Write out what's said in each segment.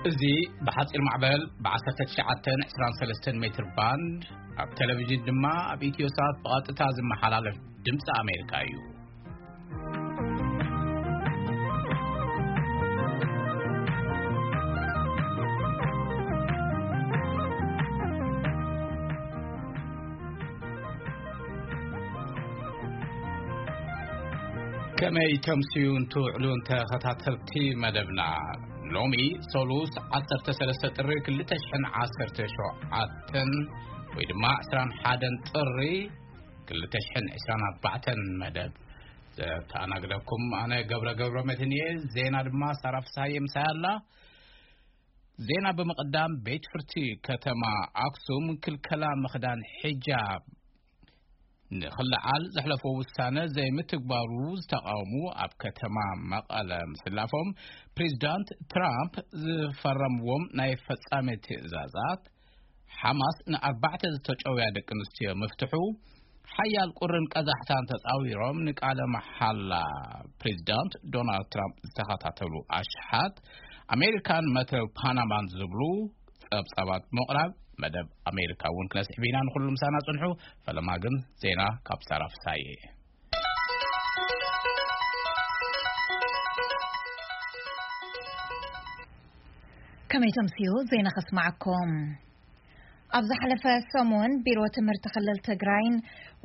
እዚ ብሓጺር ማዕበል ብ19 23 ሜትር ባንድ፣ ኣብ ቴሌቪዥን ድማ ኣብ ኢትዮ ሳት ብቐጥታ ዝመሓላለፍ ድምፂ ኣሜሪካ እዩ። ከመይ ተምስዩን ትውዕሉን ተኸታተልቲ መደብና? ሎሚ ሰሉስ 13 ጥሪ 2017 ወይ ድማ 21 ጥሪ 2024 መደብ ዘተኣናግደኩም ኣነ ገብረ ገብረ መድህን እየ። ዜና ድማ ሳራ ፍስሃየ ምሳይ ኣላ። ዜና ብምቕዳም፣ ቤት ፍርዲ ከተማ ኣክሱም ክልከላ ምኽዳን ሒጃብ ንኽልዓል ዘሕለፎ ውሳነ ዘይምትግባሩ ዝተቃወሙ ኣብ ከተማ መቐለ ምስላፎም፣ ፕሬዚዳንት ትራምፕ ዝፈረምዎም ናይ ፈጻሚ ትእዛዛት፣ ሓማስ ንኣርባዕተ ዝተጨውያ ደቂ ኣንስትዮ ምፍትሑ፣ ሓያል ቁርን ቀዛሕታን ተጻዊሮም ንቃለ መሓላ ፕሬዚዳንት ዶናልድ ትራምፕ ዝተኸታተሉ ኣሽሓት ኣሜሪካን መተው ፓናማን ዝብሉ ጸብጻባት ብምቕራብ፣ መደብ ኣሜሪካ እውን ክነስዕብ ኢና። ንኹሉ ምሳና ጽንሑ። ፈለማ ግን ዜና ካብ ሳራ ፍሳዬ። ከመይ ተምስዩ ዜና ከስማዓኩም። ኣብ ዝሓለፈ ሰሙን ቢሮ ትምህርቲ ክልል ትግራይን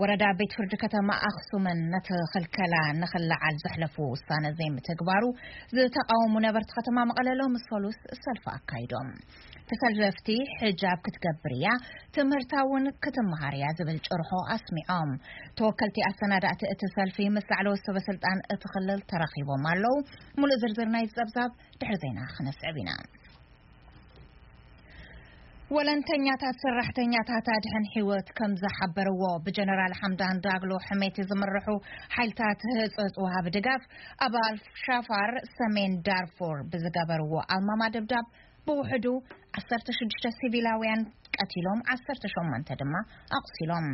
ወረዳ ቤት ፍርዲ ከተማ ኣኽሱምን ነቲ ክልከላ ንኽልዓል ዘሕለፉ ውሳነ ዘይምትግባሩ ዝተቃወሙ ነበርቲ ከተማ መቐለ ሎሚ ሰሉስ ሰልፊ ኣካይዶም። ተሰለፍቲ፣ ሕጃብ ክትገብር እያ፣ ትምህርታ እውን ክትመሃር እያ ዝብል ጭርሖ ኣስሚዖም። ተወከልቲ ኣሰናዳእቲ እቲ ሰልፊ ምስ ላዕለዎት ሰበ ስልጣን እቲ ክልል ተራኺቦም ኣለዉ። ሙሉእ ዝርዝር ናይ ጸብጻብ ድሕሪ ዜና ክነስዕብ ኢና። ወለንተኛታት ሰራሕተኛታት ኣድሕን ህይወት ከም ዝሓበርዎ፣ ብጀነራል ሓምዳን ዳግሎ ሕሜቲ ዝምርሑ ሓይልታት ህጹጽ ወሃቢ ድጋፍ ኣብ ኣልሻፋር ሰሜን ዳርፎር ብዝገበርዎ ኣልማማ ደብዳብ ብውሕዱ 16 ሲቪላውያን ቀቲሎም፣ 18 ድማ ኣቑሲሎም።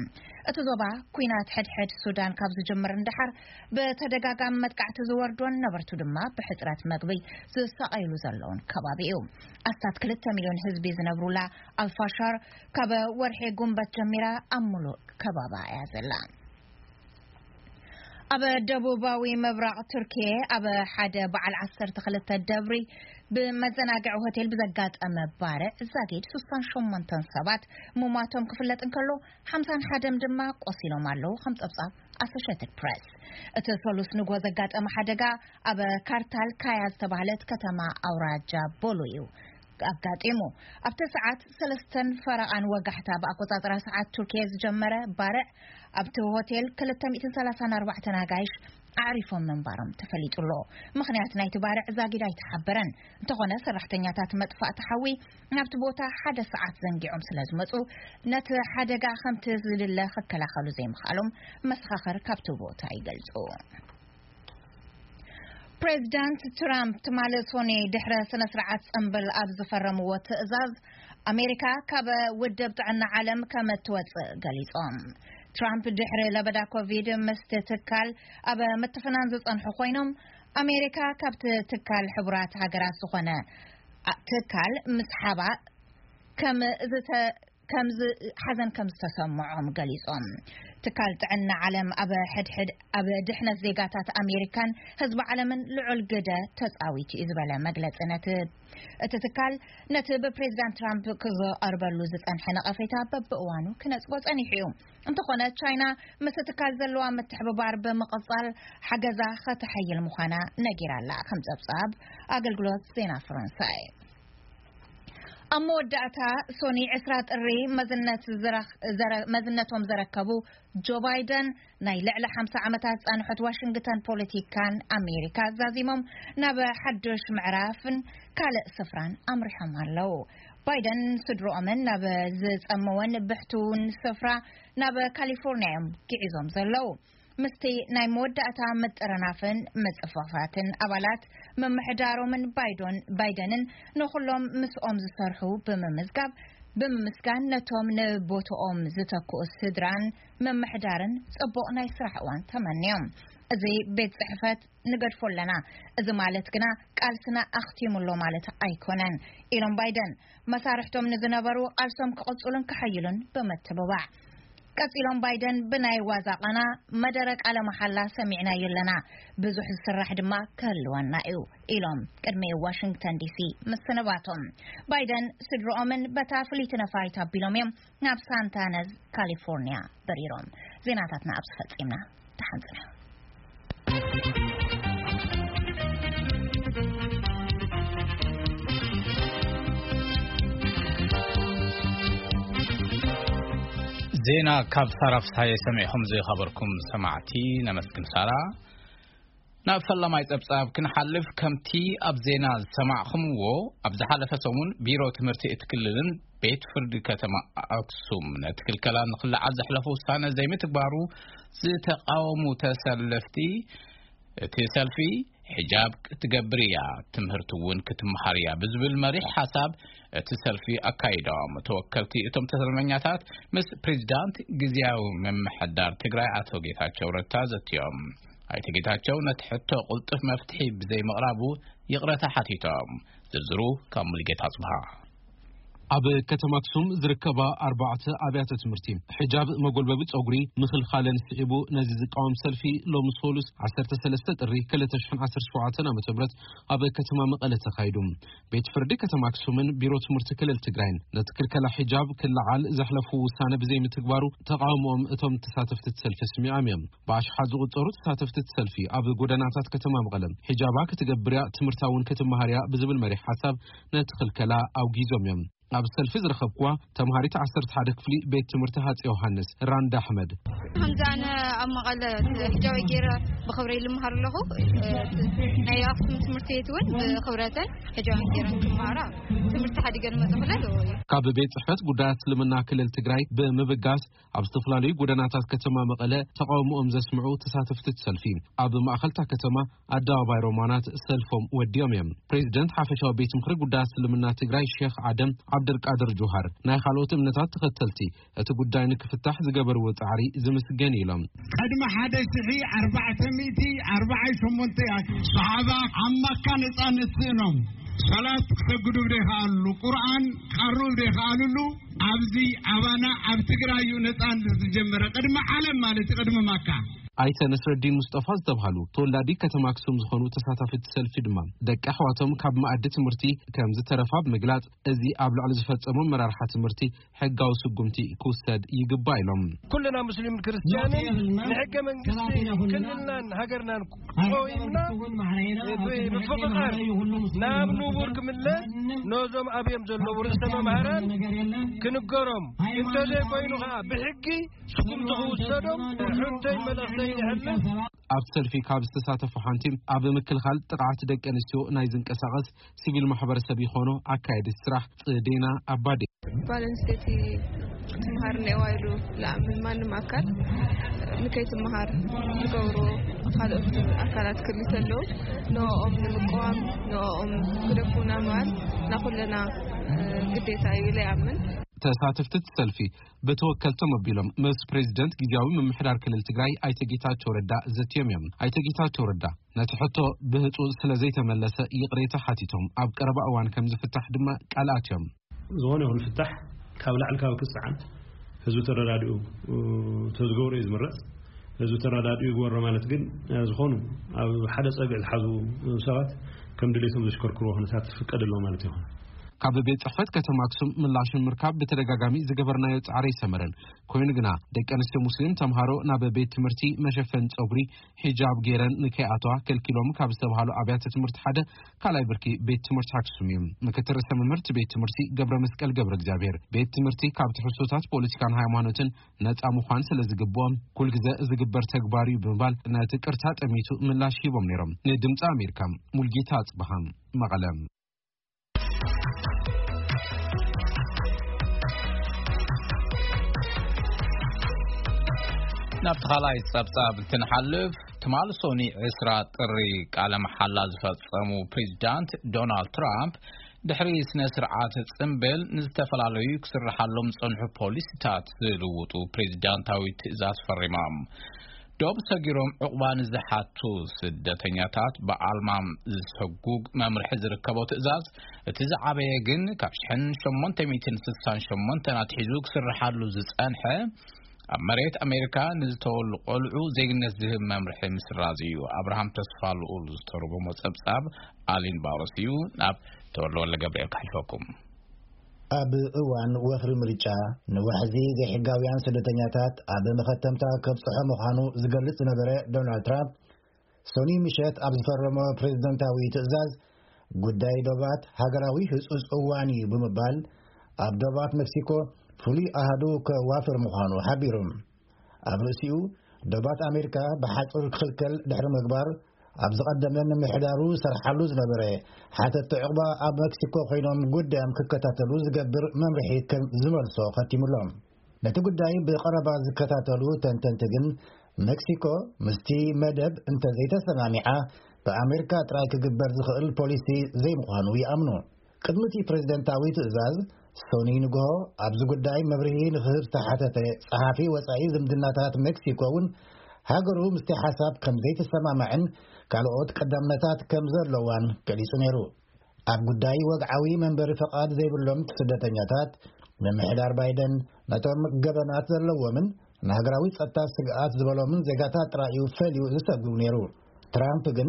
እቲ ዞባ ኲናት ሕድሕድ ሱዳን ካብ ዝጅምር ንደሓር ብተደጋጋሚ መጥቃዕቲ ዝወርዶን ነበርቱ ድማ ብሕጽረት መግቢ ዝሳቐይሉ ዘለውን ከባቢ እዩ። ኣስታት 2 ሚልዮን ህዝቢ ዝነብሩላ ኣልፋሻር ካብ ወርሒ ጉንበት ጀሚራ ኣብ ሙሉእ ከባባ እያ ዘላ። ኣብ ደቡባዊ ምብራቕ ቱርኪየ ኣብ ሓደ በዓል 12 ደብሪ ብመዘናግዒ ሆቴል ብዘጋጠመ ባርዕ ዛጊድ 68 ሰባት ምሟቶም ክፍለጥ እንከሎ፣ 51 ድማ ቆሲሎም ኣለዉ፣ ከም ጸብጻብ ኣሶሼትድ ፕሬስ። እቲ ሰሉስ ንጎ ዘጋጠመ ሓደጋ ኣብ ካርታል ካያ ዝተባህለት ከተማ ኣውራጃ ቦሎ እዩ ኣጋጢሙ። ኣብቲ ሰዓት ሰለስተን ፈረቓን ወጋሕታ ብኣቆጻጽራ ሰዓት ቱርኪየ ዝጀመረ ባርዕ፣ ኣብቲ ሆቴል 234 ኣጋይሽ ኣዕሪፎም ምንባሮም ተፈሊጡ ኣሎ። ምኽንያት ናይቲ ባርዕ ዛጊድ ኣይተሓበረን። እንተኾነ፣ ሰራሕተኛታት መጥፋእቲ ሓዊ ናብቲ ቦታ ሓደ ሰዓት ዘንጊዖም ስለ ዝመጹ፣ ነቲ ሓደጋ ከምቲ ዝድለ ክከላኸሉ ዘይምኽኣሎም መሰኻኽር ካብቲ ቦታ ይገልጹ። ፕሬዚዳንት ትራምፕ ትማሊ ሶኒ ድሕረ ስነ ስርዓት ጽምብል ኣብ ዝፈረምዎ ትእዛዝ፣ ኣሜሪካ ካብ ውድብ ጥዕና ዓለም ከም እትወጽእ ገሊጾም። ትራምፕ ድሕሪ ለበዳ ኮቪድ ምስቲ ትካል ኣብ ምትፍናን ዝጸንሑ ኮይኖም፣ ኣሜሪካ ካብቲ ትካል ሕቡራት ሃገራት ዝኾነ ኣ-፣ ትካል ምስሓባ ከም ዝተ-፣ ከም ዝ-፣ ሓዘን ከም ዝተሰምዖም ገሊጾም። ትካል ጥዕና ዓለም ኣብ ሕድሕድ ኣብ ድሕነት ዜጋታት ኣሜሪካን ህዝቢ ዓለምን ልዑል ግደ ተጻዊቱ እዩ ዝበለ መግለጺ ነቲ፣ እቲ ትካል ነቲ ብፕሬዚዳንት ትራምፕ ክዝቐርበሉ ዝጸንሐ ነቐፌታ በብእዋኑ ክነጽጎ ጸኒሑ እዩ። እንተኾነ፣ ቻይና ምስ ትካል ዘለዋ ምትሕብባር ብምቕጻል ሓገዛ ከተሓይል ምዃና ነጊራ ኣላ፣ ከም ጸብጻብ ኣገልግሎት ዜና ፈረንሳይ። ኣብ መወዳእታ፣ ሶኒ 20 ጥሪ መዝነት ዝረኽ-፣ ዘረ-፣ መዝነቶም ዘረከቡ ጆ ባይደን፣ ናይ ልዕሊ 50 ዓመታት ጻንሖት ዋሽንግተን ፖለቲካን ኣሜሪካ ዛዚሞም ናብ ሓድሽ ምዕራፍን ካልእ ስፍራን ኣምሪሖም ኣለዉ። ባይደን ስድሮኦምን ናብ ዝጸመወን ብሕቱውን ስፍራ ናብ ካሊፎርኒያ እዮም ግዒዞም ዘለዉ። ምስቲ ናይ መወዳእታ ምጥርናፍን ምጽፍፋትን ኣባላት ምምሕዳሮምን ባይዶን-፣ ባይደንን ንኹሎም ምስኦም ዝሰርሑ ብምምዝጋብ፣ ብምምስጋን ነቶም ንቦትኦም ዝተክኡ ስድራን ምምሕዳርን ጽቡቕ ናይ ስራሕ እዋን ተመንዮም። እዚ ቤት ጽሕፈት ንገድፎ ኣለና። እዚ ማለት ግና ቃልስና ኣኽቲሙ ኣሎ ማለት ኣይኮነን ኢሎም ባይደን፣ መሳርሕቶም ንዝነበሩ ቃልሶም ክቕጽሉን ክሕይሉን ብምትብባዕ። ቀጺሎም ባይደን፣ ብናይ ዋዛ ቃና መደረ ቃለ መሓላ ሰሚዕናዮ ኣለና፣ ብዙሕ ዝስራሕ ድማ ክህልወና እዩ ኢሎም ቅድሚ ዋሽንግተን ዲሲ ምስንባቶም። ባይደን ስድሮኦምን በታ ፍልይቲ ነፋሪት ኣቢሎም እዮም ናብ ሳንታነዝ ካሊፎርኒያ በሪሮም። ዜናታትና ኣብዚ ፈጺምና። ተሓንጽና። ዜና ካብ ሳራ ፍስሃየ ሰሚዕኹም ዝኸበርኩም ሰማዕቲ ነመስግን። ሳራ፣ ናብ ፈላማይ ጸብጻብ ክንሓልፍ፣ ከምቲ ኣብ ዜና ዝሰማዕኹምዎ፣ ኣብ ዝሓለፈ ሰሙን ቢሮ ትምህርቲ እቲ ክልልን ቤት ፍርዲ ከተማ ኣክሱም ነቲ ክልከላ ንኽልዓል ዘሕለፉ ውሳነ ዘይምትግባሩ ዝተቃወሙ ተሰለፍቲ፣ እቲ ሰልፊ፣ "ሕጃብ ክትገብር እያ፣ ትምህርቲ እውን ክትመሃር እያ" ብዝብል መሪሕ ሓሳብ እቲ ሰልፊ ኣካይዶም። ተወከልቲ እቶም ተሰልፈኛታት ምስ ፕሬዚዳንት ግዝያዊ ምምሕዳር ትግራይ ኣቶ ጌታቸው ረዳ ዘትዮም። ኣይተ ጌታቸው ነቲ ሕቶ ቅልጡፍ መፍትሒ ብዘይምቕራቡ ይቕረታ ሓቲቶም። ዝርዝሩ ካብ ሙሉጌታ ኣጽብሃ። ኣብ ከተማ ኣክሱም ዝርከባ ኣርባዕተ ኣብያተ ትምህርቲ፣ ሕጃብ መጎልበቢ ጸጉሪ ምኽልኻለን ስዒቡ፣ ነዚ ዝቃወም ሰልፊ ሎሚ ሶሉስ ዓሰርተ ሰለስተ ጥሪ ክልተ ሽሕን ዓሰርተ ሸውዓተን ዓመተ ምህረት ኣብ ከተማ መቐለ ተኻይዱ። ቤት ፍርዲ ከተማ ኣክሱምን ቢሮ ትምህርቲ ክልል ትግራይን ነቲ ክልከላ ሕጃብ ክለዓል ዘሕለፉ ውሳነ ብዘይምትግባሩ፣ ተቃውሞኦም እቶም ተሳተፍቲ እቲ ሰልፊ ኣስሚዖም እዮም። ብኣሽሓት ዝቑጸሩ ተሳተፍቲ እቲ ሰልፊ፣ ኣብ ጎደናታት ከተማ መቐለ፣ "ሕጃባ ክትገብር እያ፣ ትምህርታ እውን ክትመሃር እያ" ብዝብል መሪሕ ሓሳብ ነቲ ክልከላ ኣውጊዞም እዮም። ኣብ ሰልፊ ዝረኸብኩዋ ተምሃሪት ዓሰርተ ሓደ ክፍሊ ቤት ትምህርቲ ሃፀይ ዮሃንስ፣ ራንዳ ኣሕመድ። ከምዚ ኣነ ኣብ መቐለ ሕጃበይ ገይረ ብኽብረይ ልምሃር ኣለኹ። ናይ ኣክሱም ትምህርቲ ቤት እውን ብኽብረተን ሕጃበን ገይረን ክመሃራ ትምህርቲ ሓዲገን መፅእ ክለል እዩ። ካብ ቤት ጽሕፈት ጉዳያት እስልምና ክልል ትግራይ ብምብጋስ፣ ኣብ ዝተፈላለዩ ጎደናታት ከተማ መቐለ ተቃውሞኦም ዘስምዑ ተሳተፍቲ እቲ ሰልፊ፣ ኣብ ማእኸልታ ከተማ ኣደባባይ ሮማናት ሰልፎም ወዲኦም እዮም። ፕሬዚደንት ሓፈሻዊ ቤት ምኽሪ ጉዳያት እስልምና ትግራይ ሼኽ ኣደም ዓብደልቃድር ጁሃር፣ ናይ ካልኦት እምነታት ተኸተልቲ እቲ ጉዳይ ንክፍታሕ ዝገበርዎ ጻዕሪ ዝምስገን ኢሎም። ቅድሚ ሓደ ሽሕ ኣርባዕተ ሚእቲ ኣርባዓን ሸሞንተ ሰሓባ ኣብ መካ ነጻነት ስእኖም፣ ሰላት ክሰግዱ ብደይከኣልሉ፣ ቁርኣን ክቐርቡ ብደይከኣልሉ፣ ኣብዚ ኣባና ኣብ ትግራይ እዩ ነጻነት ዝጀመረ፣ ቅድሚ ዓለም ማለት እዩ፣ ቅድሚ መካ። ኣይተ ነስረዲን ሙስጠፋ ዝተብሃሉ ተወላዲ ከተማ ኣክሱም ዝኾኑ ተሳታፊ እቲ ሰልፊ ድማ፣ ደቂ ኣሕዋቶም ካብ መኣዲ ትምህርቲ ከም ዝተረፋ ብምግላጽ፣ እዚ ኣብ ልዕሊ ዝፈጸሞ መራርሓ ትምህርቲ ሕጋዊ ስጉምቲ ክውሰድ ይግባእ ኢሎም። ኩልና ሙስሊምን ክርስትያንን ንሕገ መንግስቲ ክልልናን ሃገርናን ቆይምና፣ ብምፍቕቓር ናብ ንቡር ክምለስ፣ ነዞም ኣብዮም ዘለዉ ርእሰ መምህራን ክንገሮም፣ እንተዘይኮይኑ ኸዓ ብሕጊ ስጉምቲ ክውሰዶም ሕቶይ መልእኽተይ የሕልፍ። ኣብ ሰልፊ ካብ ዝተሳተፉ ሓንቲ፣ ኣብ ምክልኻል ጥቕዓት ደቂ ኣንስትዮ ናይ ዝንቀሳቐስ ሲቪል ማሕበረሰብ ይኾኖ ኣካየዲ ስራሕ ጽዴና ኣባዴ። ጓል ኣንስተይቲ ክትመሃር እኒአዋ ኢሉ ዝኣምን ማንም ኣካል ንከይትመሃር ዝገብሩ ካልኦት ኣካላት ክልተ ኣለዉ። ንኦም ንምቅዋም፣ ንኦም ግደፉና ምባል ናኩለና ግዴታ እዩ ኢለ ይኣምን። ተሳተፍቲ እቲ ሰልፊ ብተወከልቶም ኣቢሎም ምስ ፕሬዚደንት ግዝያዊ ምምሕዳር ክልል ትግራይ ኣይተ ጌታቸው ረዳ ዘትዮም እዮም። ኣይተ ጌታቸው ረዳ ነቲ ሕቶ ብህፁ ስለ ዘይተመለሰ ይቕሬታ ሓቲቶም ኣብ ቀረባ እዋን ከም ዝፍታሕ ድማ ቃል ኣትዮም። ዝኾነ ይኹን ፍታሕ ካብ ላዕሊ ካብ ክፀዓን ህዝቢ ተረዳዲኡ ተዝገብሮ እዩ ዝምረፅ። ህዝቢ ተረዳዲኡ ይግበሮ ማለት ግን፣ ዝኾኑ ኣብ ሓደ ፀግዒ ዝሓዙ ሰባት ከም ድሌቶም ዘሽከርክርዎ ኩነታት ዝፍቀድ ኣሎ ማለት ይኹን። ካብ ቤት ጽሕፈት ከተማ ኣክሱም ምላሽ ንምርካብ ብተደጋጋሚ ዝገበርናዮ ጻዕሪ ኣይሰመረን። ኮይኑ ግና፣ ደቂ ኣንስትዮ ሙስሊም ተምሃሮ ናብ ቤት ትምህርቲ መሸፈን ጸጉሪ፣ ሒጃብ፣ ገይረን ንከይኣተዋ ከልኪሎም ካብ ዝተባህሉ ኣብያተ ትምህርቲ ሓደ ካልኣይ ብርኪ ቤት ትምህርቲ ኣክሱም እዩ። ምክትል ርእሰ መምህር እቲ ቤት ትምህርቲ ገብረ መስቀል ገብረ እግዚኣብሔር፣ ቤት ትምህርቲ ካብ ትሕዝቶታት ፖለቲካን ሃይማኖትን ነጻ ምዃን ስለ ዝግብኦ፣ ኩልግዘ ዝግበር ተግባር እዩ ብምባል ነቲ ቅርታ ጠሚቱ ምላሽ ሂቦም ነይሮም። ንድምፂ ኣሜሪካ፣ ሙልጌታ ኣጽብሃ፣ መቐለ። ናብቲ ካልኣይ ጸብጻብ እንትንሓልፍ፣ ትማሊ ሶኒ ዕስራ ጥሪ ቃለ መሓላ ዝፈጸሙ ፕሬዚዳንት ዶናልድ ትራምፕ፣ ድሕሪ ስነ ስርዓት ጽምብል ንዝተፈላለዩ ክስርሓሎም ዝጸንሑ ፖሊሲታት ዝልውጡ ፕሬዚዳንታዊ ትእዛዝ ፈሪሞም። ዶብ ሰጊሮም ዕቑባ ንዝሓቱ ስደተኛታት ብኣልማም ዝሰጉግ መምርሒ ዝርከቦ ትእዛዝ፣ እቲ ዝዓበየ ግን ካብ ሽሕን ሸሞንተ ሚእትን ስሳን ሸሞንተን ኣትሒዙ ክስርሓሉ ዝጸንሐ፣ ኣብ መሬት ኣሜሪካ ንዝተወሉ ቆልዑ ዜግነት ዝህብ መምርሒ ምስራዝ እዩ። ኣብርሃም ተስፋ ልኡል ዝተርጎሞ ጸብጻብ ኣሊን ባሮስ እዩ። ናብ ተወልደ ወልደ ገብርኤል ክሕልፈኩም። ኣብ እዋን ወፍሪ ምርጫ ንዋሕዚ ዘይሕጋውያን ስደተኛታት ኣብ መኸተምታ ከብጽሖ ምዃኑ ዝገልጽ ዝነበረ ዶናልድ ትራምፕ፣ ሶኒ ምሸት ኣብ ዝፈረሞ ፕሬዝደንታዊ ትእዛዝ፣ ጉዳይ ዶባት ሃገራዊ ህጹጽ እዋን እዩ ብምባል፣ ኣብ ዶባት ሜክሲኮ ፍሉይ ኣሃዱ ከዋፍር ምዃኑ ሓቢሩ። ኣብ ርእሲኡ፣ ዶባት ኣሜሪካ ብሓጹር ክኽልከል ድሕሪ ምግባር፣ ኣብ ዝቐደመ ምምሕዳሩ ሰርሓሉ ዝነበረ ሓተቲ ዕቑባ ኣብ ሜክሲኮ ኮይኖም ጉዳዮም ክከታተሉ ዝገብር መምርሒ ከም ዝመልሶ ከቲሙሎም። ነቲ ጉዳይ ብቐረባ ዝከታተሉ ተንተንቲ ግን፣ ሜክሲኮ ምስቲ መደብ እንተዘይተሰማሚዓ፣ ብኣሜሪካ ጥራይ ክግበር ዝኽእል ፖሊሲ ዘይምዃኑ ይኣምኑ። ቅድሚ እቲ ፕሬዝደንታዊ ትእዛዝ፣ ሶኒ ንግሆ ኣብዚ ጉዳይ መብርሂ ንኽህብ ዝተሓተተ ጸሓፊ ወጻኢ ዝምድናታት ሜክሲኮ እውን፣ ሃገሩ ምስቲ ሓሳብ ከም ዘይተሰማማዕን ካልኦት ቀዳምነታት ከም ዘለዋን ገሊጹ ነይሩ። ኣብ ጉዳይ ወግዓዊ መንበሪ ፈቓድ ዘይብሎም ስደተኛታት፣ ምምሕዳር ባይደን ነቶም ገበናት ዘለዎምን ንሃገራዊ ጸጥታ ስግኣት ዝበሎምን ዜጋታት ጥራይ እዩ ፈልዩ ዝሰጉም ነይሩ። ትራምፕ ግን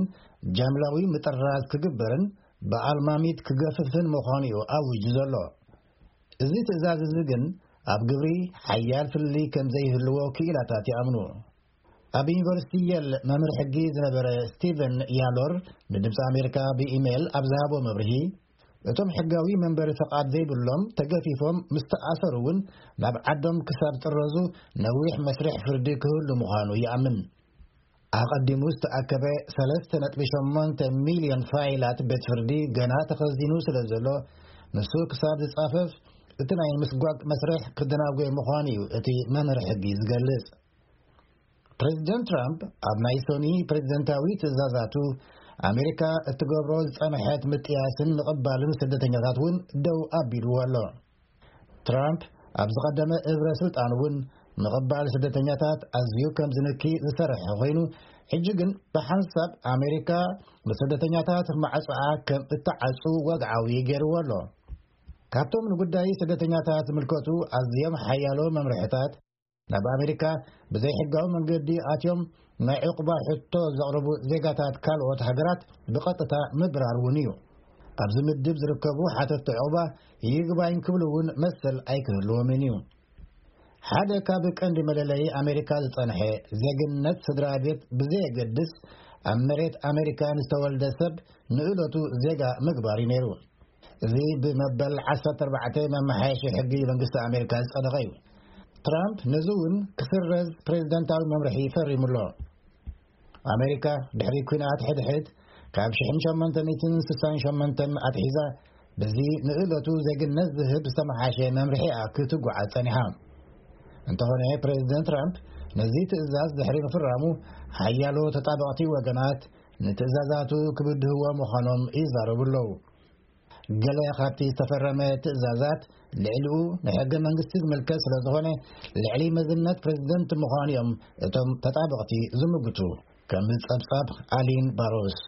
ጃምላዊ ምጥራዝ ክግበርን ብኣልማሚት ክገፍፍን ምዃኑ እዩ ኣዊጁ ዘሎ። እዚ ትእዛዝ እዚ ግን ኣብ ግብሪ ሓያል ፍልልይ ከም ዘይህልዎ ክኢላታት ይኣምኑ። ኣብ ዩኒቨርሲቲ የል መምህር ሕጊ ዝነበረ ስቲቨን ያሎር ንድምፂ ኣሜሪካ ብኢሜይል ኣብ ዝሃቦ መብርሂ፣ እቶም ሕጋዊ መንበሪ ፈቓድ ዘይብሎም ተገፊፎም ምስ ተኣሰሩ እውን፣ ናብ ዓዶም ክሳብ ጥረዙ ነዊሕ መስርሕ ፍርዲ ክህሉ ምዃኑ ይኣምን። ኣቐዲሙ ዝተኣከበ ሰለስተ ነጥቢ ሸሞንተ ሚልዮን ፋይላት ቤት ፍርዲ ገና ተኸዚኑ ስለ ዘሎ፣ ንሱ ክሳብ ዝጻፈፍ፣ እቲ ናይ ምስጓግ መስርሕ ክደናጎይ ምዃኑ እዩ እቲ መምህር ሕጊ ዝገልጽ። ፕሬዚደንት ትራምፕ ኣብ ናይ ሶኒ ፕሬዚደንታዊ ትእዛዛቱ፣ ኣሜሪካ እትገብሮ ዝጸንሐት ምጥያስን ምቕባልን ስደተኛታት እውን ደው ኣቢልዎ ኣሎ። ትራምፕ ኣብ ዝቐደመ እብረ ስልጣን እውን ምቕባል ስደተኛታት ኣዝዩ ከም ዝንኪ ዝሰርሐ ኮይኑ፣ ሕጂ ግን ብሓንሳብ ኣሜሪካ ንስደተኛታት ማዕጾኣ ከም እትዓጹ ወግዓዊ ገይርዎ ኣሎ። ካብቶም ንጉዳይ ስደተኛታት ዝምልከቱ ኣዝዮም ሓያሎ መምርሕታት፣ ናብ ኣሜሪካ ብዘይሕጋዊ መንገዲ ኣትዮም ናይ ዕቑባ ሕቶ ዘቕርቡ ዜጋታት ካልኦት ሃገራት ብቐጥታ ምብራር እውን እዩ። ኣብዚ ምድብ ዝርከቡ ሓተትቲ ዕቑባ ይግባኝ ክብሉ እውን መሰል ኣይክህልዎምን እዩ። ሓደ ካብ ቀንዲ መለለዪ ኣሜሪካ ዝጸንሐ ዜግነት ስድራ ቤት ብዘየገድስ፣ ኣብ መሬት ኣሜሪካ ንዝተወልደ ሰብ ንእለቱ ዜጋ ምግባር እዩ ነይሩ። እዚ ብመበል ዓሰርተ ኣርባዕተ መመሓየሺ ሕጊ መንግስቲ ኣሜሪካ ዝጸደቐ እዩ። ትራምፕ ነዚ እውን ክስረዝ ፕሬዚደንታዊ መምርሒ ፈሪሙ ኣሎ። ኣሜሪካ ድሕሪ ኲናት ሕድሕድ ካብ ሽሕን ሸሞንተ ሚእትን ስሳን ሸሞንተን ኣትሒዛ፣ በዚ ንእለቱ ዜግነት ዝህብ ዝተመሓሸ መምርሒኣ ክትጓዓዝ ጸኒሓ። እንተኾነ፣ ፕሬዚደንት ትራምፕ ነዚ ትእዛዝ ድሕሪ ምፍራሙ፣ ሓያሎ ተጣበቕቲ ወገናት ንትእዛዛቱ ክብድህዎ ምዃኖም ይዛረቡ ኣለዉ። ገለ ካብቲ ዝተፈረመ ትእዛዛት፣ ልዕሊኡ ንሕገ መንግስቲ ዝምልከት ስለ ዝኾነ፣ ልዕሊ መዝነት ፕሬዚደንት ምዃኑ እዮም እቶም ተጣበቕቲ ዝምግቱ። ከም ጸብጻብ ኣሊን ባሮስ።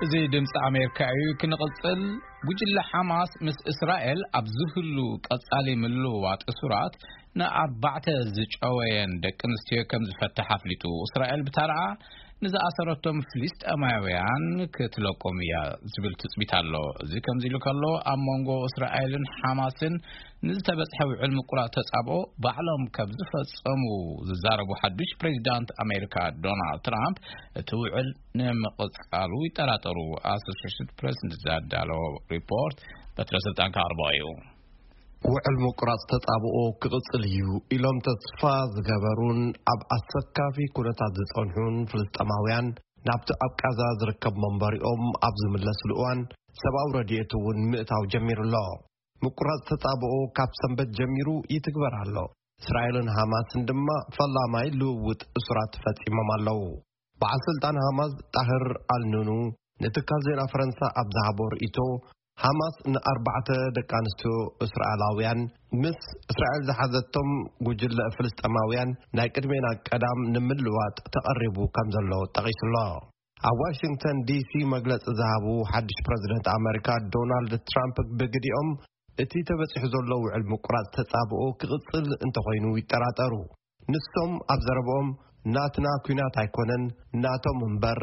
እዚ ድምፂ ኣሜሪካ እዩ። ክንቕፅል፣ ጉጅለ ሓማስ ምስ እስራኤል ኣብ ዝህሉ ቀጻሊ ምልውዋጥ እሱራት፣ ንኣርባዕተ ዝጨወየን ደቂ ኣንስትዮ ከም ዝፈትሕ ኣፍሊጡ። እስራኤል ብታርዓ ንዝኣሰረቶም ፍልስጤማውያን ክትለቆም እያ ዝብል ትጽቢት ኣሎ። እዚ ከምዚ ኢሉ ከሎ፣ ኣብ መንጎ እስራኤልን ሓማስን ንዝተበጽሐ ውዕል ምቁራጽ ተጻብኦ ባዕሎም ከም ዝፈጸሙ ዝዛረቡ ሓዱሽ ፕሬዚዳንት ኣሜሪካ ዶናልድ ትራምፕ፣ እቲ ውዕል ንምቕጻሉ ይጠራጠሩ። ኣሶሲየትድ ፕሬስ ንዘዳለዎ ሪፖርት በትረ ስልጣን ክቐርቦ እዩ። ውዕል ምቁራጽ ተጻብኦ ክቕጽል እዩ ኢሎም ተስፋ ዝገበሩን ኣብ ኣሰካፊ ኩነታት ዝጸንሑን ፍልስጤማውያን፣ ናብቲ ኣብ ቃዛ ዝርከብ መንበሪኦም ኣብ ዝምለስሉ እዋን፣ ሰብኣዊ ረድኤት እውን ምእታው ጀሚሩ ኣሎ። ምቁራጽ ተጻብኦ ካብ ሰንበት ጀሚሩ ይትግበር ኣሎ። እስራኤልን ሃማስን ድማ ፈላማይ ልውውጥ እሱራት ፈጺሞም ኣለዉ። በዓል ስልጣን ሃማስ ጣህር ኣልኑኑ ንትካል ዜና ፈረንሳ ኣብ ዝሃቦ ርእይቶ፣ ሃማስ ንኣርባዕተ ደቂ ኣንስትዮ እስራኤላውያን ምስ እስራኤል ዝሓዘቶም ጉጅለ ፍልስጤማውያን ናይ ቅድሜና ቀዳም ንምልዋጥ ተቐሪቡ ከም ዘሎ ጠቒሱሎ። ኣብ ዋሽንግተን ዲሲ መግለጺ ዝሃቡ ሓድሽ ፕረዚደንት ኣመሪካ ዶናልድ ትራምፕ ብግዲኦም፣ እቲ ተበጺሑ ዘሎ ውዕል ምቁራጽ ተጻብኦ ክቕጽል እንተኾይኑ ይጠራጠሩ። ንሶም ኣብ ዘረብኦም፣ ናትና ኲናት ኣይኮነን፣ ናቶም እምበር፣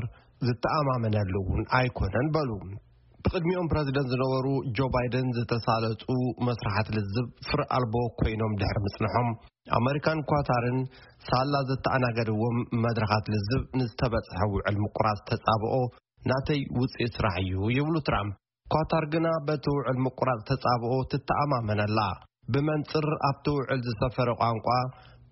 ዝተኣማመነሉ እውን ኣይኮነን በሉ። ብቕድሚኦም ፕረዚደንት ዝነበሩ ጆ ባይደን ዝተሳለጡ መስራሓት ልዝብ ፍረ ኣልቦ ኮይኖም ድሕሪ ምጽንሖም፣ ኣመሪካን ኳታርን ሳላ ዘተኣናገድዎም መድረኻት ልዝብ ንዝተበጽሐ ውዕል ምቁራጽ ተጻብኦ ናተይ ውጽኢት ስራሕ እዩ ይብሉ ትራምፕ። ኳታር ግና በቲ ውዕል ምቁራጽ ተጻብኦ ትተኣማመን ኣላ። ብመንጽር ኣብቲ ውዕል ዝሰፈረ ቋንቋ፣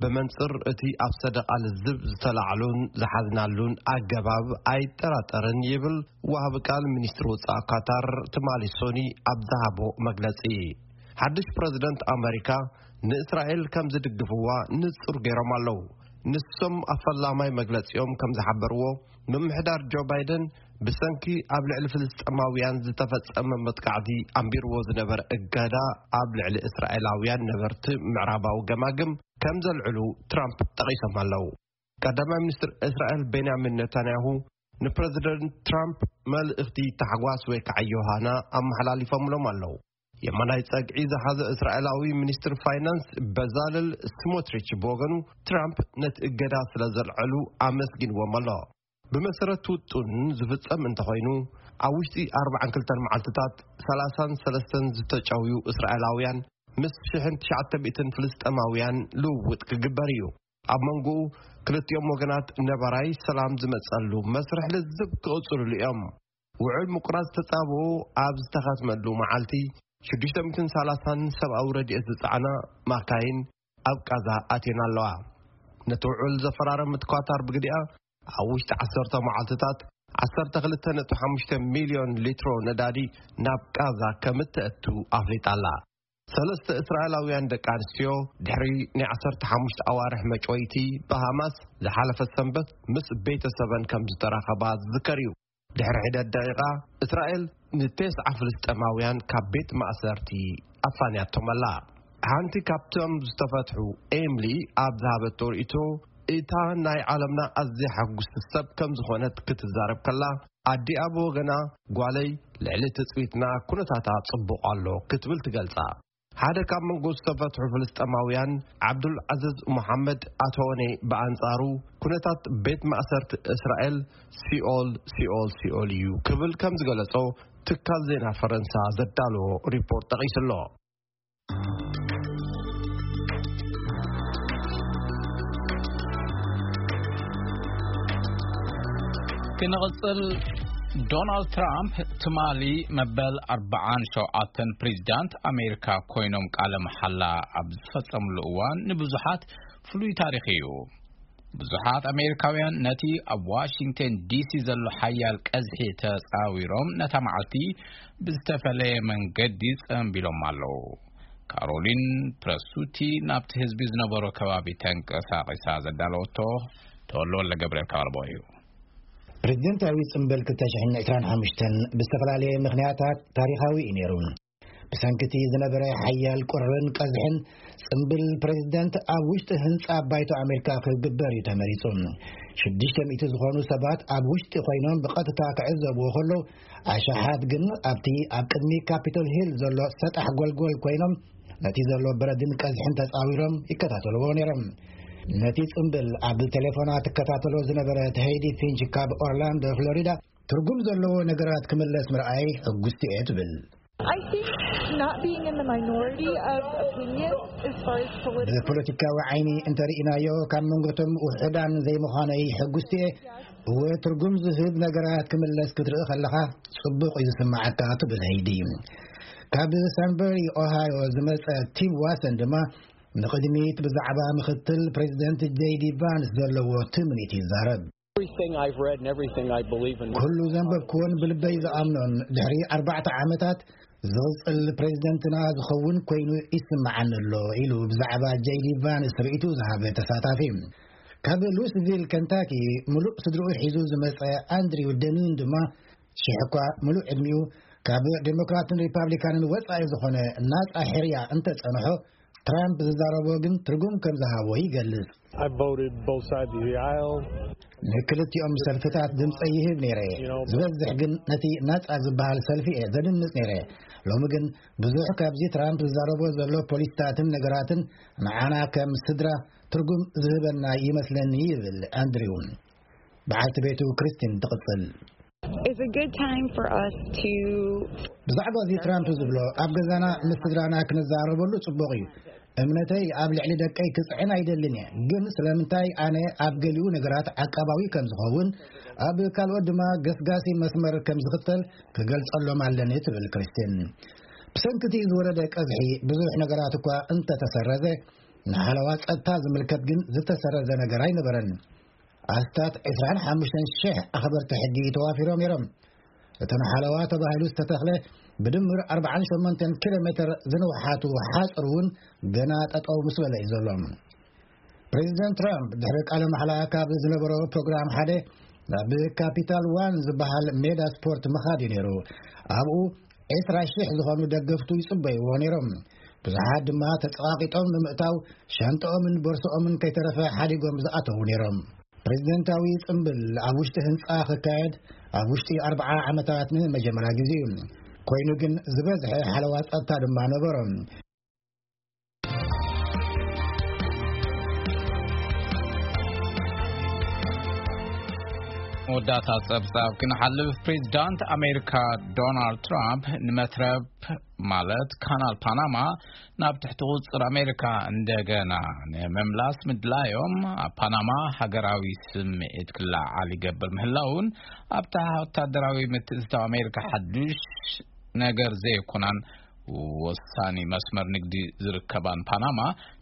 ብመንጽር እቲ ኣብ ሰደቓ ልዝብ ዝተላዕሉን ዝሓዝናሉን ኣገባብ ኣይጠራጠርን ይብል ወሃቢ ቃል ሚኒስትሪ ወጻኢ ኳታር ትማሊ ሶኒ ኣብ ዝሃቦ መግለጺ። ሓድሽ ፕረዚደንት ኣመሪካ ንእስራኤል ከም ዝድግፍዋ ንጹር ገይሮም ኣለዉ። ንሶም ኣብ ፈላማይ መግለጺኦም ከም ዝሓበርዎ፣ ምምሕዳር ጆ ባይደን ብሰንኪ ኣብ ልዕሊ ፍልስጤማውያን ዝተፈጸመ መጥቃዕቲ ኣንቢርዎ ዝነበረ እገዳ ኣብ ልዕሊ እስራኤላውያን ነበርቲ ምዕራባዊ ገማግም ከም ዘልዕሉ ትራምፕ ጠቒሶም ኣለዉ። ቀዳማይ ሚኒስትር እስራኤል ቤንያሚን ኔታንያሁ ንፕረዚደንት ትራምፕ መልእኽቲ ታሕጓስ ወይ ከዓ ዮሃና ኣመሓላሊፎምሎም ኣለዉ። የማናይ ጸግዒ ዝሓዘ እስራኤላዊ ሚኒስትር ፋይናንስ በዛለል ስሞትሪች ብወገኑ፣ ትራምፕ ነቲ እገዳ ስለ ዘልዐሉ ኣመስጊንዎም ኣሎ። ብመሰረት ውጡን ዝፍጸም እንተኾይኑ፣ ኣብ ውሽጢ ኣርባዓን ክልተን መዓልትታት ሰላሳን ሰለስተን ዝተጨውዩ እስራኤላውያን ምስ ሽሕን ትሽዓተ ሚእትን ፍልስጤማውያን ልውውጥ ክግበር እዩ። ኣብ መንጎኡ ክልቲኦም ወገናት ነባራይ ሰላም ዝመጸሉ መስርሕ ልዝብ ክቕጽሉሉ እዮም። ውዕል ምቁራጽ ተጻብኦ ኣብ ዝተኸትመሉ መዓልቲ፣ ሽዱሽተ ሚእትን ሰላሳን ሰብኣዊ ረድኤት ዝጸዓና ማካይን ኣብ ቃዛ ኣትየን ኣለዋ። ነቲ ውዕል ዘፈራረመት ኳታር ብግዲኣ፣ ኣብ ውሽጢ ዓሰርተ መዓልትታት ዓሰርተ ክልተ ነጥቢ ሓሙሽተ ሚልዮን ሊትሮ ነዳዲ ናብ ቃዛ ከም እተእቱ ኣፍሊጣ ኣላ። ሰለስተ እስራኤላውያን ደቂ ኣንስትዮ ድሕሪ ናይ ዓሰርተ ሓሙሽተ ኣዋርሕ መጭወይቲ ብሃማስ ዝሓለፈ ሰንበት ምስ ቤተሰበን ከም ዝተራኸባ ዝዝከር እዩ። ድሕሪ ሒደት ደቂቓ፣ እስራኤል ንቴስዓ ፍልስጤማውያን ካብ ቤት ማእሰርቲ ኣፋንያቶም ኣላ። ሓንቲ ካብቶም ዝተፈትሑ፣ ኤምሊ፣ ኣብ ዝሃበቶ ርእይቶ፣ እታ ናይ ዓለምና ኣዝያ ሕጉስቲ ሰብ ከም ዝኾነት ክትዛረብ ከላ፣ ኣዲኣ ብወገና፣ ጓለይ፣ ልዕሊ ትጽቢትና ኩነታታ ጽቡቕ ኣሎ ክትብል ትገልጻ። ሓደ ካብ መንጎ ዝተፈትሑ ፍልስጤማውያን፣ ዓብዱል ዓዝዝ መሓመድ ኣቶኔ፣ ብኣንጻሩ፣ ኩነታት ቤት ማእሰርቲ እስራኤል ሲኦል፣ ሲኦል፣ ሲኦል እዩ ክብል ከም ዝገለጾ ትካል ዜና ፈረንሳ ዘዳለዎ ሪፖርት ጠቒሱ ኣሎ። ክንቕጽል፣ ዶናልድ ትራምፕ ትማሊ መበል ኣርባዓን ሸውዓተን ፕሬዚዳንት ኣሜሪካ ኮይኖም ቃለ መሓላ ኣብ ዝፈጸምሉ እዋን ንብዙሓት ፍሉይ ታሪኽ እዩ። ብዙሓት ኣሜሪካውያን ነቲ ኣብ ዋሽንግተን ዲሲ ዘሎ ሓያል ቀዝሒ ተጻዊሮም ነታ መዓልቲ ብዝተፈለየ መንገዲ ጸንቢሎም ኣለዉ። ካሮሊን ፕረሱቲ ናብቲ ህዝቢ ዝነበሮ ከባቢ ተንቀሳቒሳ ዘዳለወቶ ተወልደ ወልደ ገብርኤል ካብ ኣልቦ እዩ። ፕሬዚደንታዊ ጽምብል ክልተ ሽሕን ዕስራን ሓሙሽተን ብዝተፈላለየ ምኽንያታት ታሪኻዊ እዩ ነይሩ። ብሰንኪ እቲ ዝነበረ ሓያል ቁርን ቀዝሕን፣ ጽምብል ፕሬዚደንት ኣብ ውሽጢ ህንጻ ባይቶ ኣሜሪካ ክግበር እዩ ተመሪጹ። ሽዱሽተ ሚእቲ ዝኾኑ ሰባት ኣብ ውሽጢ ኮይኖም ብቐጥታ ክዕዘብዎ ከለዉ፣ ኣሽሓት ግን ኣብቲ ኣብ ቅድሚ ካፒቶል ሂል ዘሎ ሰጣሕ ጎልጎል ኮይኖም ነቲ ዘሎ በረድን ቀዝሕን ተጻዊሮም ይከታተልዎ ነይሮም። ነቲ ጽምብል ኣብ ቴሌፎና ትከታተሎ ዝነበረት ሄይዲ ፊንች ካብ ኦርላንዶ ፍሎሪዳ፣ ትርጉም ዘለዎ ነገራት ክምለስ ምርኣይ ሕጉስቲ እየ ትብል። I think not being in the minority of opinion as far as political ብፖለቲካዊ ዓይኒ እንተርኢናዮ፣ ካብ መንጎቶም ውሑዳን ዘይምዃነይ ሕጉስቲ እየ። እወ፣ ትርጉም ዝህብ ነገራት ክምለስ ክትርኢ ከለኻ ጽቡቕ እዩ ዝስምዓካ ትብል ሄይዲ። ካብ ሳንበሪ ኦሃዮ ዝመጸ ቲም ዋሰን ድማ ንቕድሚት ብዛዕባ ምኽትል ፕሬዚደንት ጄዲ ቫንስ ዘለዎ ትምኒት ይዛረብ። Everything I've read and everything I believe in. ኩሉ ዘንበብኩዎን ብልበይ ዝኣምኖን ድሕሪ ኣርባዕተ ዓመታት ዝቕጽል ፕሬዚደንትና ዝኸውን ኮይኑ ይስምዓኒ ኣሎ ኢሉ ብዛዕባ ጄዲ ቫንስ ርእይቱ ዝሃበ ተሳታፊ። ካብ ሉስቪል ከንታኪ ምሉእ ስድርኡ ሒዙ ዝመጸ ኣንድሪው ደኒን ድማ ሽሕ እኳ ምሉእ ዕድሚኡ ካብ ዴሞክራትን ሪፓብሊካንን ወጻኢ ዝኾነ ናጻ ሕርያ እንተጸንሖ፣ ትራምፕ ዝዛረቦ ግን ትርጉም ከም ዝሃቦ ይገልጽ። I voted both sides of the aisle. ንክልቲኦም ሰልፍታት ድምፀ ይህብ ነይረ። ዝበዝሕ ግን ነቲ ናጻ ዝበሃል ሰልፊ እየ ዘድምፅ ነይረ። ሎሚ ግን ብዙሕ ካብዚ ትራምፕ ዝዛረቦ ዘሎ ፖሊሲታትን ነገራትን ንዓና ከም ስድራ ትርጉም ዝህበና ይመስለኒ፣ ይብል ኣንድሪው። በዓልቲ ቤቱ ክሪስቲን ትቕጽል። It's a good time for us to ብዛዕባ እዚ ትራምፕ ዝብሎ ኣብ ገዛና ምስ ስድራና ክንዛረበሉ ጽቡቕ እዩ። እምነተይ ኣብ ልዕሊ ደቀይ ክጽዕን ኣይደልን እየ፣ ግን ስለምንታይ ኣነ ኣብ ገሊኡ ነገራት ዓቃባዊ ከም ዝኸውን፣ ኣብ ካልኦት ድማ ገስጋሲ መስመር ከም ዝኽተል ክገልጸሎም ኣለኒ፣ ትብል ክሪስቲን። ብሰንኪ እቲ ዝወረደ ቀዝሒ ብዙሕ ነገራት እኳ እንተተሰረዘ፣ ንሓለዋ ጸጥታ ዝምልከት ግን ዝተሰረዘ ነገር ኣይነበረን። ኣስታት ዕስራን ሓሙሽተን ሽሕ ኣኽበርቲ ሕጊ ተዋፊሮም ነይሮም። እተን ሓለዋ ተባሂሉ ዝተተኽለ ብድምር ኣርባዓን ሸሞንተን ኪሎ ሜትር ዝንውሓቱ ሓጹር እውን ገና ጠጠው ምስ በለ እዩ ዘሎ። ፕሬዚደንት ትራምፕ ድሕሪ ቃለ ማሕላ ካብ ዝነበሮ ፕሮግራም ሓደ ናብ ካፒታል ዋን ዝበሃል ሜዳ ስፖርት ምኻድ እዩ ነይሩ። ኣብኡ ዕስራ ሽሕ ዝኾኑ ደገፍቱ ይጽበይዎ ነይሮም። ብዙሓት ድማ ተጸቓቒጦም ንምእታው ሻንጣኦምን ቦርሳኦምን ከይተረፈ ሓዲጎም ዝኣተዉ ነይሮም። ፕሬዚደንታዊ ጽምብል ኣብ ውሽጢ ህንጻ ክካየድ ኣብ ውሽጢ ኣርብዓ ዓመታት ንመጀመርያ ግዜ እዩ። ኮይኑ ግን ዝበዝሐ ሓለዋ ጸጥታ ድማ ነበሮም። መወዳእታ ጸብጻብ ክንሓልፍ፣ ፕሬዚዳንት ኣሜሪካ ዶናልድ ትራምፕ ንመትረብ ማለት ካናል ፓናማ ናብ ትሕቲ ቁጽር ኣሜሪካ እንደገና ንምምላስ ምድላዮም ኣብ ፓናማ ሃገራዊ ስምዒት ክለዓል ይገብር ምህላውን ኣብታ ወታደራዊ ምትእትታው ኣሜሪካ ሓዱሽ ነገር ዘይኮናን ወሳኒ መስመር ንግዲ ዝርከባን ፓናማ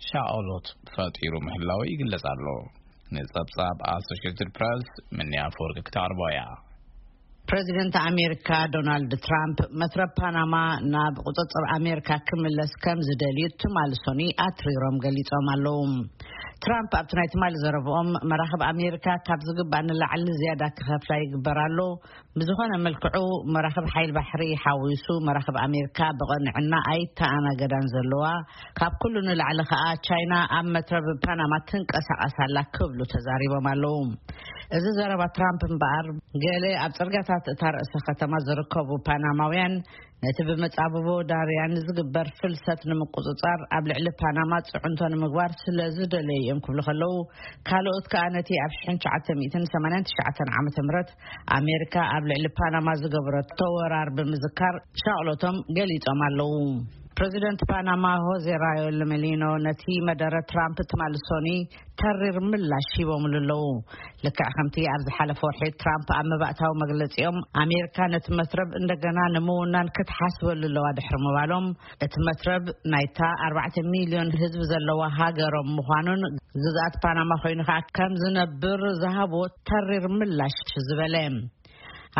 ሻኦሎት ፈጢሩ ምህላው ይግለጽ ኣሎ። ንጸብጻብ ኣሶሽትድ ፕረስ ምንያ ኣፈወርቂ ክተቕርቦ እያ። ፕሬዚደንት ኣሜሪካ ዶናልድ ትራምፕ መትረብ ፓናማ ናብ ቁጽጽር ኣሜሪካ ክምለስ ከም ዝደልዩ ትማሊ ሶኒ ኣትሪሮም ገሊጾም ኣለዉ። ትራምፕ ኣብቲ ናይ ትማሊ ዘረብኦም መራኽብ ኣሜሪካ ካብ ዝግባእ ንላዕሊ ዝያዳ ክኸፍላ ይግበር ኣሎ፣ ብዝኾነ መልክዑ መራኽብ ሓይል ባሕሪ ሓዊሱ መራኽብ ኣሜሪካ ብቐንዕና ኣይተኣናገዳን ዘለዋ፣ ካብ ኩሉ ንላዕሊ ከኣ ቻይና ኣብ መትረብ ፓናማ ትንቀሳቐስ ኣላ ክብሉ ተዛሪቦም ኣለዉ። እዚ ዘረባ ትራምፕ እምበኣር ገለ ኣብ ጽርግያታት እታ ርእሰ ከተማ ዝርከቡ ፓናማውያን ነቲ ብመጻብቦ ዳርያን ዝግበር ፍልሰት ንምቁጽጻር ኣብ ልዕሊ ፓናማ ጽዕንቶ ንምግባር ስለ ዝደለዩ እዮም ክብሉ ከለዉ፣ ካልኦት ከኣ ነቲ ኣብ ሽሕን ትሽዓተ ሚእትን ሰማንያን ትሽዓተን ዓመተ ምህረት ኣሜሪካ ኣብ ልዕሊ ፓናማ ዝገበረቶ ወራር ብምዝካር ሻቕሎቶም ገሊጾም ኣለዉ። ፕረዚደንት ፓናማ ሆዜ ራዮ ለመሊኖ ነቲ መደረ ትራምፕ ትማሊ ሶኒ ተሪር ምላሽ ሂቦምሉ ኣለዉ። ልክዕ ከምቲ ኣብ ዝሓለፈ ወርሒ ትራምፕ ኣብ መባእታዊ መግለጺኦም ኣሜሪካ ነቲ መትረብ እንደገና ንምውናን ክትሓስበሉ ኣለዋ ድሕሪ ምባሎም፣ እቲ መትረብ ናይታ ኣርባዕተ ሚልዮን ህዝቢ ዘለዋ ሃገሮም ምዃኑን ግዝኣት ፓናማ ኮይኑ ከዓ ከም ዝነብር ዝሃብዎ ተሪር ምላሽ ዝበለ።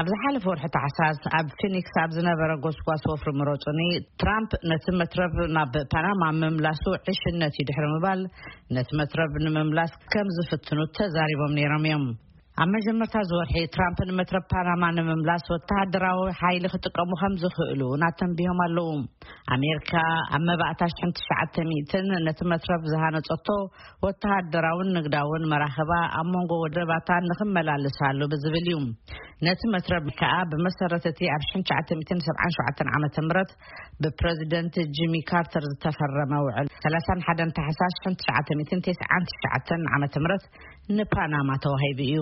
ኣብ ዝሓለፈ ወርሒ ታሕሳስ ኣብ ፊኒክስ ኣብ ዝነበረ ጎስጓስ ወፍሪ ምረጹኒ፣ ትራምፕ ነቲ መትረብ ናብ ፓናማ ምምላሱ ዕሽነት እዩ ድሕሪ ምባል፣ ነቲ መትረብ ንምምላስ ከም ዝፍትኑ ተዛሪቦም ነይሮም እዮም። ኣብ መጀመርታ እዚ ወርሒ ትራምፕ ንመትረብ ፓናማ ንምምላስ ወተሃደራዊ ሓይሊ ክጥቀሙ ከም ዝኽእሉ እውን ኣተንቢሆም ኣለዉ። ኣሜሪካ ኣብ መባእታ ሽሕን ትሽዓተ ሚእትን ነቲ መትረብ ዝሃነጸቶ ወተሃደራውን ንግዳውን መራኽባ ኣብ መንጎ ወደባታ ንኽመላልሳሉ ብዝብል እዩ። ነቲ መትረብ ከኣ ብመሰረት እቲ ኣብ ሽሕን ትሽዓተ ሚእትን ሰብዓን ሸውዓተን ዓመተ ምህረት ብፕረዚደንት ጂሚ ካርተር ዝተፈረመ ውዕል ሰላሳን ሓደን ታሕሳስ ሽሕን ትሽዓተ ሚእትን ተስዓን ትሽዓተን ዓመተ ምህረት ንፓናማ ተዋሂቡ እዩ።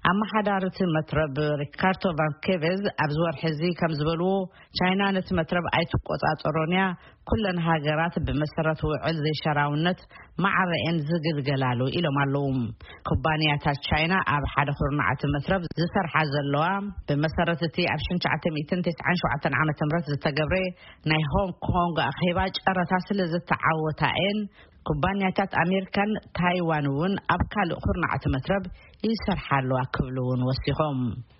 ኣመሓዳሪ እቲ መትረብ ሪካርዶ ቫንኬቬዝ ኣብዚ ወርሒ እዚ ከም ዝበልዎ፣ ቻይና ነቲ መትረብ ኣይትቆጻጸሮን እያ፣ ኩለን ሃገራት ብመሰረት ውዕል ዘይሸራውነት ማዕረኤን ዝግልገላሉ ኢሎም ኣለዉ። ኩባንያታት ቻይና ኣብ ሓደ ኩርናዕ እቲ መትረብ ዝሰርሓ ዘለዋ፣ ብመሰረት እቲ ኣብ ሽሕን ትሽዓተ ሚእትን ተስዓን ሸውዓተን ዓመተ ምህረት ዝተገብረ ናይ ሆንግ ኮንግ ኣኼባ ጨረታ ስለ ዝተዓወታ እየን። ኩባንያታት ኣሜሪካን ታይዋን እውን ኣብ ካልእ ኩርናዕ እቲ መትረብ ይሰርሓ ኣለዋ ክብሉ እውን ወሲኾም።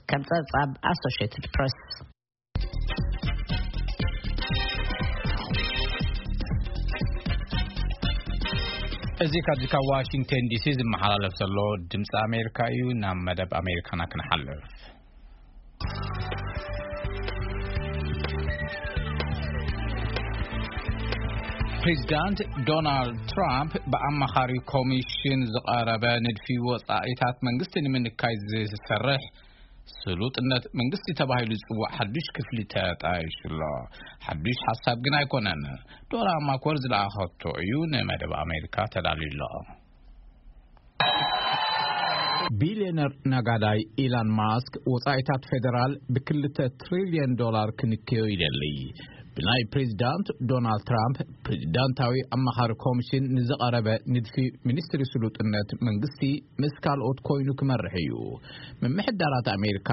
ከም ጸብጻብ ኣሶሽየትድ ፕረስ። እዚ ካብዚ ካብ ዋሽንግተን ዲሲ ዝመሓላለፍ ዘሎ ድምፂ ኣሜሪካ እዩ። ናብ መደብ ኣሜሪካና ክንሓልፍ። ፕሬዚዳንት ዶናልድ ትራምፕ ብኣማኻሪ ኮሚሽን ዝቐረበ ንድፊ ወጻኢታት መንግስቲ ንምንካይ ዝሰርሕ ስሉጥነት መንግስቲ ተባሂሉ ዝጽዋዕ ሓዱሽ ክፍሊ ተጣይሹ ኣሎ። ሓዱሽ ሓሳብ ግን ኣይኮነን። ዶራ ማኮር ዝለኣኸቶ እዩ ንመደብ ኣሜሪካ ተዳልዩ ኣሎ። ቢልዮነር ነጋዳይ ኢላን ማስክ ወጻኢታት ፌደራል ብ2 ትሪልዮን ዶላር ክንክዮ ይደሊ። ብናይ ፕሬዚዳንት ዶናልድ ትራምፕ ፕሬዚዳንታዊ ኣማኻሪ ኮሚሽን ንዝቐረበ ንድፊ ሚኒስትሪ ስሉጥነት መንግስቲ ምስ ካልኦት ኮይኑ ክመርሕ እዩ። ምምሕዳራት ኣሜሪካ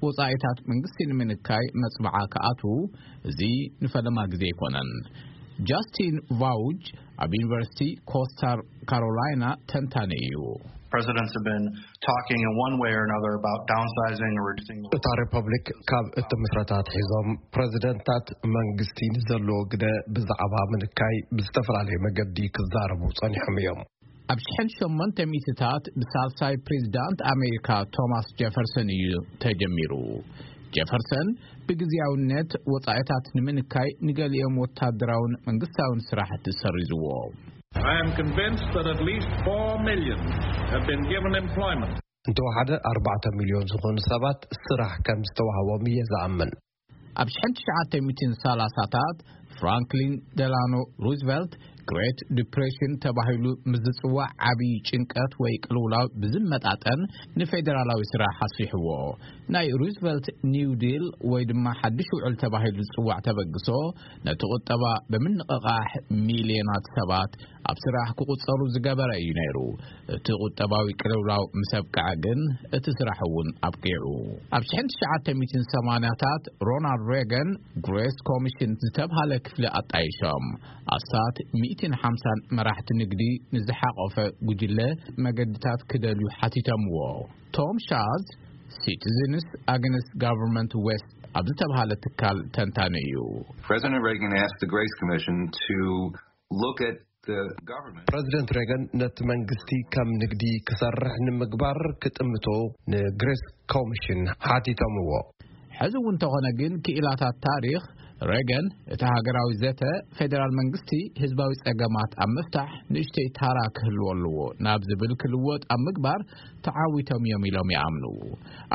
ወጻኢታት መንግስቲ ንምንካይ መጽብዓ ክኣትዉ እዚ ንፈለማ ግዜ ኣይኮነን። ጃስቲን ቫውጅ ኣብ ዩኒቨርሲቲ ኮስታር ካሮላይና ተንታኒ እዩ። Presidents have been talking in one way or another about downsizing or reducing the እታ ሪፐብሊክ ካብ እትምስረት ኣትሒዞም ፕረዚደንታት መንግስቲ ንዘለዎ ግደ ብዛዕባ ምንካይ ብዝተፈላለየ መገዲ ክዛረቡ ጸኒሖም እዮም። ኣብ ሽሕን ሸሞንተ ሚእትታት ብሳልሳይ ፕሬዚዳንት ኣሜሪካ ቶማስ ጀፈርሰን እዩ ተጀሚሩ። ጀፈርሰን ብግዜያውነት ወጻኢታት ንምንካይ ንገሊኦም ወታደራውን መንግስታውን ስራሕቲ ሰሪዝዎ። I am convinced that at least four million have been given employment. እንተወሓደ ኣርባዕተ ሚልዮን ዝኾኑ ሰባት ስራሕ ከም ዝተዋህቦም እየ ዝኣምን። ኣብ ሽሕን ትሽዓተ ሚእትን ሰላሳታት ፍራንክሊን ደላኖ ሩዝቨልት ግሬት ዲፕሬሽን ተባሂሉ ምስ ዝጽዋዕ ዓብዪ ጭንቀት ወይ ቅልውላው ብዝመጣጠን ንፌደራላዊ ስራሕ ኣስፊሕዎ። ናይ ሩዝቨልት ኒው ዲል ወይ ድማ ሓድሽ ውዕል ተባሂሉ ዝጽዋዕ ተበግሶ ነቲ ቁጠባ ብምንቕቓሕ ሚልዮናት ሰባት ኣብ ስራሕ ክቑጸሩ ዝገበረ እዩ ነይሩ። እቲ ቁጠባዊ ቅልውላው ምስ ኣብቅዐ ግን እቲ ስራሕ እውን ኣብቂዑ። ኣብ ሽሕን ትሽዓተ ሚእትን ሰማንያታት ሮናልድ ሬገን ግሬስ ኮሚሽን ዝተብሃለ ክፍሊ ኣጣይሾም። ኣስታት ሚእትን ሓምሳን መራሕቲ ንግዲ ንዝሓቖፈ ጉጅለ መገድታት ክደልዩ ሓቲቶምዎ። ቶም ሻዝ ሲቲዝንስ ኣግንስት ጋቨርንመንት ዌስት ኣብ ዝተብሃለ ትካል ተንታኒ እዩ። President Reagan asked the Grace Commission to look at the government. ፕረዚደንት ሬገን ነቲ መንግስቲ ከም ንግዲ ክሰርሕ ንምግባር ክጥምቶ ንግሬስ ኮሚሽን ሓቲቶምዎ። ሕዚ እውን እንተኾነ ግን ክኢላታት ታሪኽ ሬገን እቲ ሃገራዊ ዘተ ፌደራል መንግስቲ ህዝባዊ ጸገማት ኣብ ምፍታሕ ንእሽተይ ታራ ክህልዎ ኣለዎ ናብ ዝብል ክልወጥ ኣብ ምግባር ተዓዊቶም እዮም ኢሎም ይኣምኑ።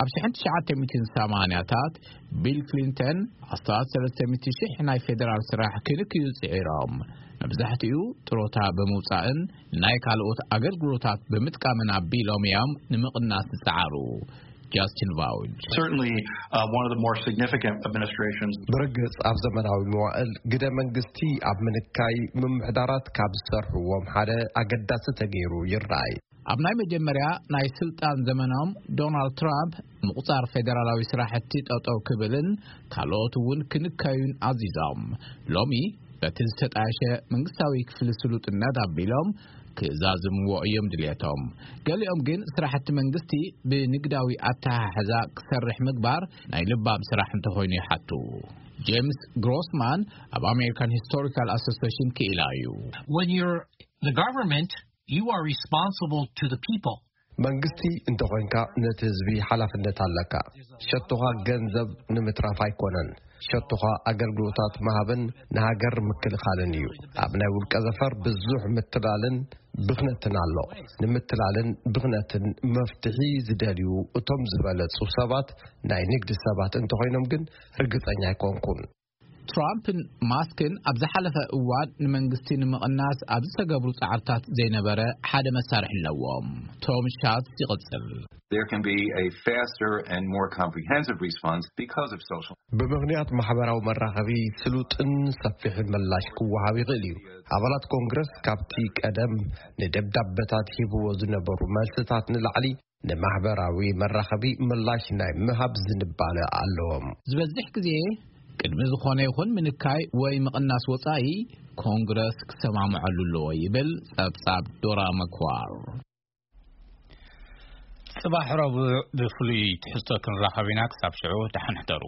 ኣብ ሽሕን ትሽዓተ ሚእትን ሰማንያታት ቢል ክሊንተን ኣስታት ሰለስተ ሚእቲ ሽሕ ናይ ፌደራል ስራሕ ክንክዩ ጽዒሮም። መብዛሕትኡ ጥሮታ ብምውጻእን ናይ ካልኦት ኣገልግሎታት ብምጥቃምን ኣቢሎም እዮም ንምቕናስ ዝጸዓሩ። ጃስቲን ቫውጅ Certainly, uh, one of the more significant administrations. ብርግጽ ኣብ ዘመናዊ መዋእል ግደ መንግስቲ ኣብ ምንካይ ምምሕዳራት ካብ ዝሰርሕዎም ሓደ ኣገዳሲ ተገይሩ ይረኣይ። ኣብ ናይ መጀመርያ ናይ ስልጣን ዘመኖም ዶናልድ ትራምፕ ምቑጻር ፌደራላዊ ስራሕቲ ጠጠው ክብልን ካልኦት እውን ክንከዩን ኣዚዞም። ሎሚ በቲ ዝተጣየሸ መንግስታዊ ክፍሊ ስሉጥነት ኣቢሎም ክዛዝምዎ እዮም ድልየቶም። ገሊኦም ግን ስራሕቲ መንግስቲ ብንግዳዊ ኣተሓሕዛ ክሰርሕ ምግባር ናይ ልባም ስራሕ እንተኾይኑ ይሓቱ። ጄምስ ግሮስማን ኣብ ኣሜሪካን ሂስቶሪካል ኣሶሲሽን ክኢላ እዩ። When you're the government, you are responsible to the people. መንግስቲ እንተኾይንካ ነቲ ህዝቢ ሓላፍነት ኣለካ። ሸቶኻ ገንዘብ ንምትራፍ ኣይኮነን። ሸቶኻ ኣገልግሎታት ምሃብን ንሃገር ምክልኻልን እዩ። ኣብ ናይ ውልቀ ዘፈር ብዙሕ ምትላልን ብኽነትን ኣሎ። ንምትላልን ብኽነትን መፍትሒ ዝደልዩ እቶም ዝበለጹ ሰባት ናይ ንግዲ ሰባት እንተኾይኖም ግን ርግጸኛ ኣይኮንኩን። ትራምፕን ማስክን ኣብ ዝሓለፈ እዋን ንመንግስቲ ንምቕናስ ኣብ ዝተገብሩ ጻዕርታት ዘይነበረ ሓደ መሳርሒ ኣለዎም። ቶም ሻትስ ይቕጽል። There can be a faster and more comprehensive response because of social. ብምኽንያት ማሕበራዊ መራኸቢ ስሉጥን ሰፊሕን ምላሽ ክወሃብ ይኽእል እዩ። ኣባላት ኮንግረስ ካብቲ ቀደም ንደብዳበታት ሂብዎ ዝነበሩ መልስታት ንላዕሊ ንማሕበራዊ መራኸቢ ምላሽ ናይ ምሃብ ዝንባለ ኣለዎም። ዝበዝሕ ግዜ ቅድሚ ዝኾነ ይኹን ምንካይ ወይ ምቕናስ ወጻኢ ኮንግረስ ክሰማምዐሉ ኣለዎ ይብል ጸብጻብ ዶራ መክዋር። ጽባሕ ረቡዕ ብፍሉይ ትሕዝቶ ክንራኸብ ኢና። ክሳብ ሽዑ ደሓን ሕደሩ።